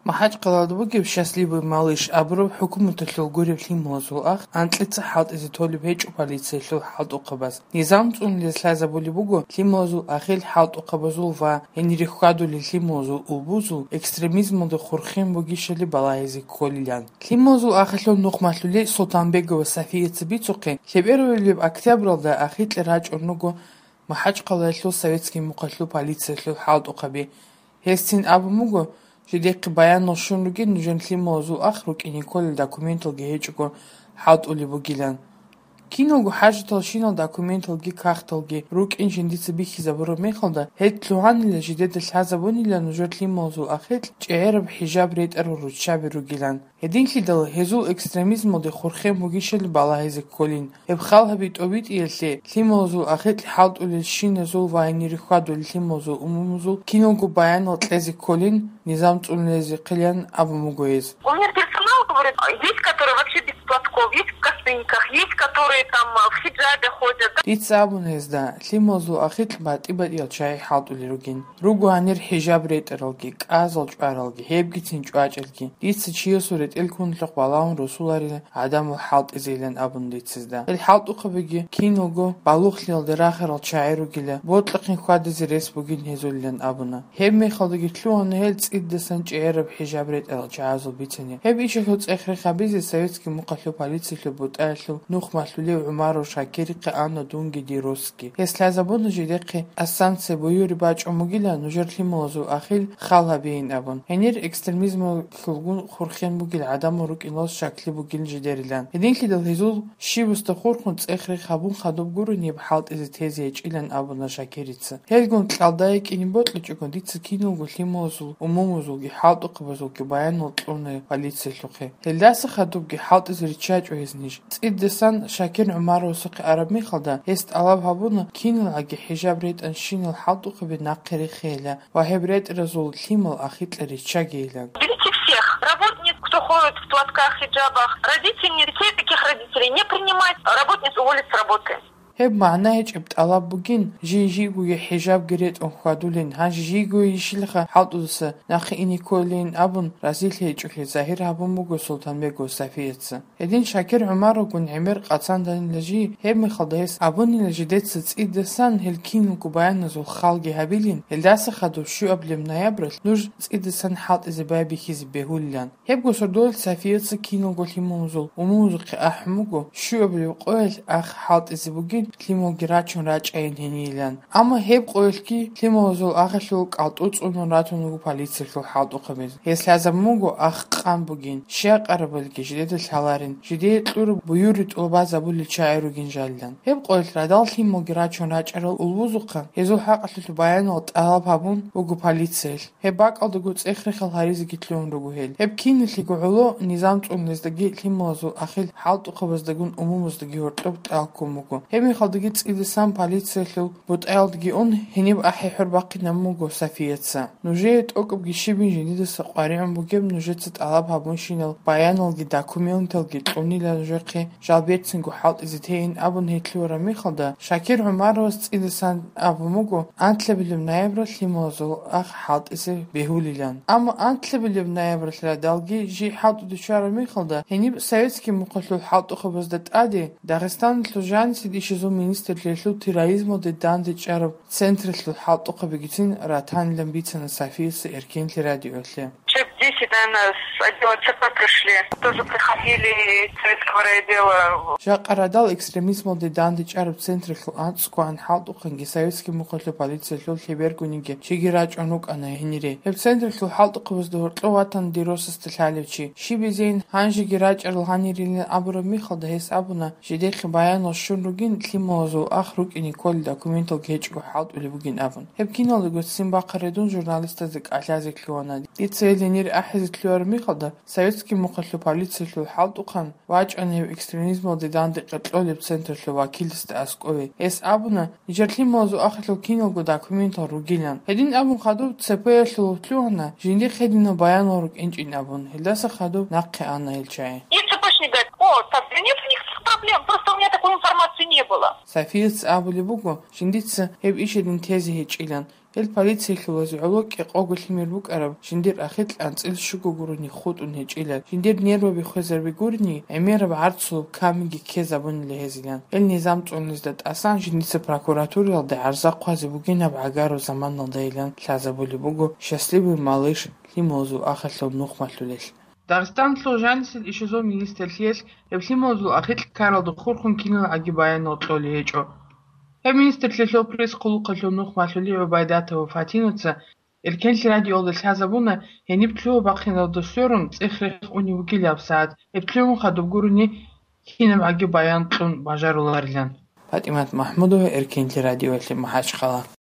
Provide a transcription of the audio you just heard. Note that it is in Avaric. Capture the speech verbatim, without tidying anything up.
МахӀачкъалада бугеб «Счастливый малыш» абураб хӀукуматалъул гуреб лъималазул ах анкьица хӀалтӀизе толеб гьечӀо полициялъул хӀалтӀухъабаз. Низам цӀунулез лъазабулеб буго лъималазул ахил хӀалтӀухъабазул ва гьенире хьвадулел лъималазул улбузул экстремизмалде хурхен бугищали балагьизе кколилан. Лъималазул ахилъул нухмалъули Султанбегова Сафияца бицухъе, лъебералеб октябралда ахикье рачӀун руго МахӀачкъалаялъул советский мухъалъул полициялъул хӀалтӀухъаби. Гьесцин абун буго, жидехъе баянал щун ругин нужер лъималазул ах рукӀине кколел документалги гьечӀого хӀалтӀулеб бугилан. Киналго хӀажаталщинал документалги кагъталги рукӀин жиндица бихьизабураб мехалда, гьел лъугьанила жидеда лъазабунила нужер лъималазул ахикь чӀегӀераб хӀижаб ретӀарал руччаби ругилан. Гьединлъидал гьезул экстремизмалде хурхен бугищали балагьизе кколин. Гьеб хал гьаби тӀобитӀиялъе лъималазул ахикь хӀалтӀулелщиназул ва гьенире хьвадулел лъималазул умумузул киналго баянал кьезе кколин, низам цӀунулезехъилан абун буго гьез. У меня персонал говорит, есть, которые вообще без платков, есть в косынках, есть, которые там, а, в хиджабе ходят. Дица абун гьезда, лъималазул ахикь батӀи-батӀиял чагӀи хӀалтӀулел ругин. Руго гьанир хӀижаб ретӀаралги, кӀазал чӀваралги, гьебгицин чӀвачӀалги. Дица чиясул ретӀел кунлъухъ балагьун росуларила гӀадамал хӀалтӀизейилан абун дицазда. Гьел хӀалтӀухъабиги киналго балугълъиялде рахарал чагӀи ругила, бокьухъин хьвадизе рес бугин гьезулилан абуна. Гьеб мехалдаги лъугьана гьел цӀидасан чӀегӀераб хӀижаб ретӀарал чагӀазул бицани. Гьеб ишалъул цӀех-рех гьабизе советский мухъалъул полициялъул бутӀаялъул нухмалъулев ГӀумаров Шакирихъе ана дунги дир росги. Гьес лъазабуна жидехъе ас санкция буюри бачӀун бугила нужер лъималазул ахил хал гьабейин абун. Гьенир экстремизмалъулгун хурхен бугил гӀадамал рукӀиналъ щаклъи бугил жидерилан. Гьединлъидал гьезул щибасда хурхун цӀех-рех гьабун хадуб гурони гьеб хӀалтӀизе тезе гьечӀилан абуна Шакирица. Гьелгун кьалда йикӀине бокьичӀого дица киналго лъималазул умумузулги хӀалтӀухъабазулги баянал кьуна полициялъухъе. Гьелдаса хадубги хӀалтӀизе риччачӀо гьез ниж. ЦӀидасан Шакир ГӀумаровасухъе араб мехалда, гьес тӀалаб гьабуна, киналгӀаги хӀижаб ретӀанщинал хӀалтӀухъаби нахъе рехейила ва гьеб ретӀаразул лъимал ахикьа риччагейилан. Берите всех работниц, кто ходит в платках, хиджабах. Родительниц, детей таких родителей не принимать. Работниц уволить с работы. Гьеб магӀна гьечӀеб тӀалаб бугин, жий-жийгоги хӀижабги ретӀун хьвадулин, гьанже жийгоги ишилха хӀалтӀудаса нахъе ине кколейин абун, разилъи гьечӀолъи загьир гьабун буго Султанбегов Сафияца. Гьедин Шакир ГӀумаровгун гӀемер къацанданила жий, гьеб мехалда гьес абунила жидеца цӀидасан гьел киналго баяназул халги гьабилин, гьелдаса хадуб щуабилеб ноябралъ нуж цӀидасан хӀалтӀизе байбихьизе бегьулилан. Гьебго сордоялъ Сафияца киналго лъималазул умумузухъе ахӀун буго, щуабилеб къоялъ ах хӀалтӀизе бугин, лъималги рачун рачӀайин гьенийилан. Амма гьеб къоялъги лъималазул ахилъул кӀалтӀу цӀунун ратун руго полициялъул хӀалтӀухъабиз. Гьес лъазабун буго ах къан бугин, щай къарабалги жидеда лъаларин, жидее кьураб буюри тӀубазабулел чагӀи ругин жалилан. Гьеб къоялъ радал лъималги рачун рачӀарал улбузухъа, гьезул хӀакъалъулъ баянал тӀалаб гьабун буго полициялъ. Гьеб бакӀалдаго цӀех-рехал гьаризеги лъугьун руго гьел. Гьеб киналъего гӀоло низам цӀунулездаги лъималазул ахил хӀалтӀухъабаздагун умумуздаги гьоркьоб тӀалккун буго. Гьеб мехалдаги цӀидасан полициялъул бутӀаялдаги ун, гьениб ахӀи-хӀур бахъинабун буго Сафияца. Нужее тӀокӀабги щибин жиндидаса къваригӀун бугеб нужеца тӀалаб гьабунщинал баяналги документалги кьунила нужехъе жал берцинго хӀалтӀизе тейин абун гьетлъугьараб мехалда, Шакир ГӀумаровас цӀидасан абун буго, анлъабилеб ноябралъ лъималазул ах хӀалтӀизе бегьулилан. Амма анлъабилеб ноябралъ радалги жий хӀалтӀуде чӀараб мехалда, гьениб советский мухъалъул хӀалтӀухъабазда тӀаде Дагъистаналъул жанисе ишазул министрлъиялъул терроризмалде дандечӀараб централъул хӀалтӀухъабигицин ратанилан бицана Сафияца Эркенлъи радиолъе. Человек десять, наверное, с отдела Ц П пришли. Тоже приходили из советского райотдела. Жакъа радал экстремизмалде дандечӀараб централъул анцӀгоан хӀалтӀухъанги советский мухъалъул полициялъул лъебергониги чиги рачӀун рукӀана гьенире. Гьеб централъул хӀалтӀухъабазда гьоркьов ватана дир росасда лъалев чи. Щиб изейин, гьанжеги рачӀарал гьанирилин абураб мехалда гьес абуна, жидехъе баянал щун ругин, лъималазул ах рукӀине кколел документалги гьечӀого хӀалтӀулеб бугин абун. Гьеб киналдаго ццин бахъа редун журналистазда кӀалъазе лъугьана. Дица гьел гьенир ахӀизе лъугьараб мехалда, советский мухъалъул полициялъул хӀалтӀухъан вачӀана гьев экстремизмалде дандекъе кьолеб централъул вакиласда аскӀове. Гьес абуна, нижер лъималазул ахилъул киналго документал ругилан. Гьедин абун хадуб Ц П-ялъул лъугьана, жиндихъ гьединал баянал рукӀинчӀин абун, гьелдаса хадуб нахъе ана гьел чагӀи. И Ц П-шник говорит: «О, так, да нет у них этих проблем, просто у меня такой информации не было». Сафияца абулеб буго, жиндица гьеб иш гьедин тезе гьечӀилан. Гьел полициялъулазе гӀоло кӀикъого лъимер букӀараб жиндир ахикь анцӀил щуго гурони хутӀун гьечӀила. Жиндир нерваби хвезарби гурони, гӀемераб гӀарцулаб камиги ккезабунила гьезилан. Гьел низам цӀунизе тӀасан жиндица прокуратураялде гӀарза хъвазе бугин гьаб гӀагараб заманалдайилан лъазабулеб буго «Счастливый малыш» лъималазул ахиралъул нух малъулел. Дагъистаналъул жанисел ишазул министрлъиялъ гьеб лъималазул ахикь ккаралда хурхун киналгӀаги баянал кьолей гьечӀо. Гьеб министрлъиялъул пресс-хъулухъалъул нух малъулей ГӀубайдатова Фатинаца Эркенлъи радиоялда лъазабуна, гьениб лъугьа-бахъиналда сверун цӀех-рех унев вугилаб сагӀат, гьеб лъугьун хадуб гурони кинабгӀаги баян кьун бажаруларилан. ПатӀимат МахӀмудова, Эркенлъи радиоялъе МахӀачхъала.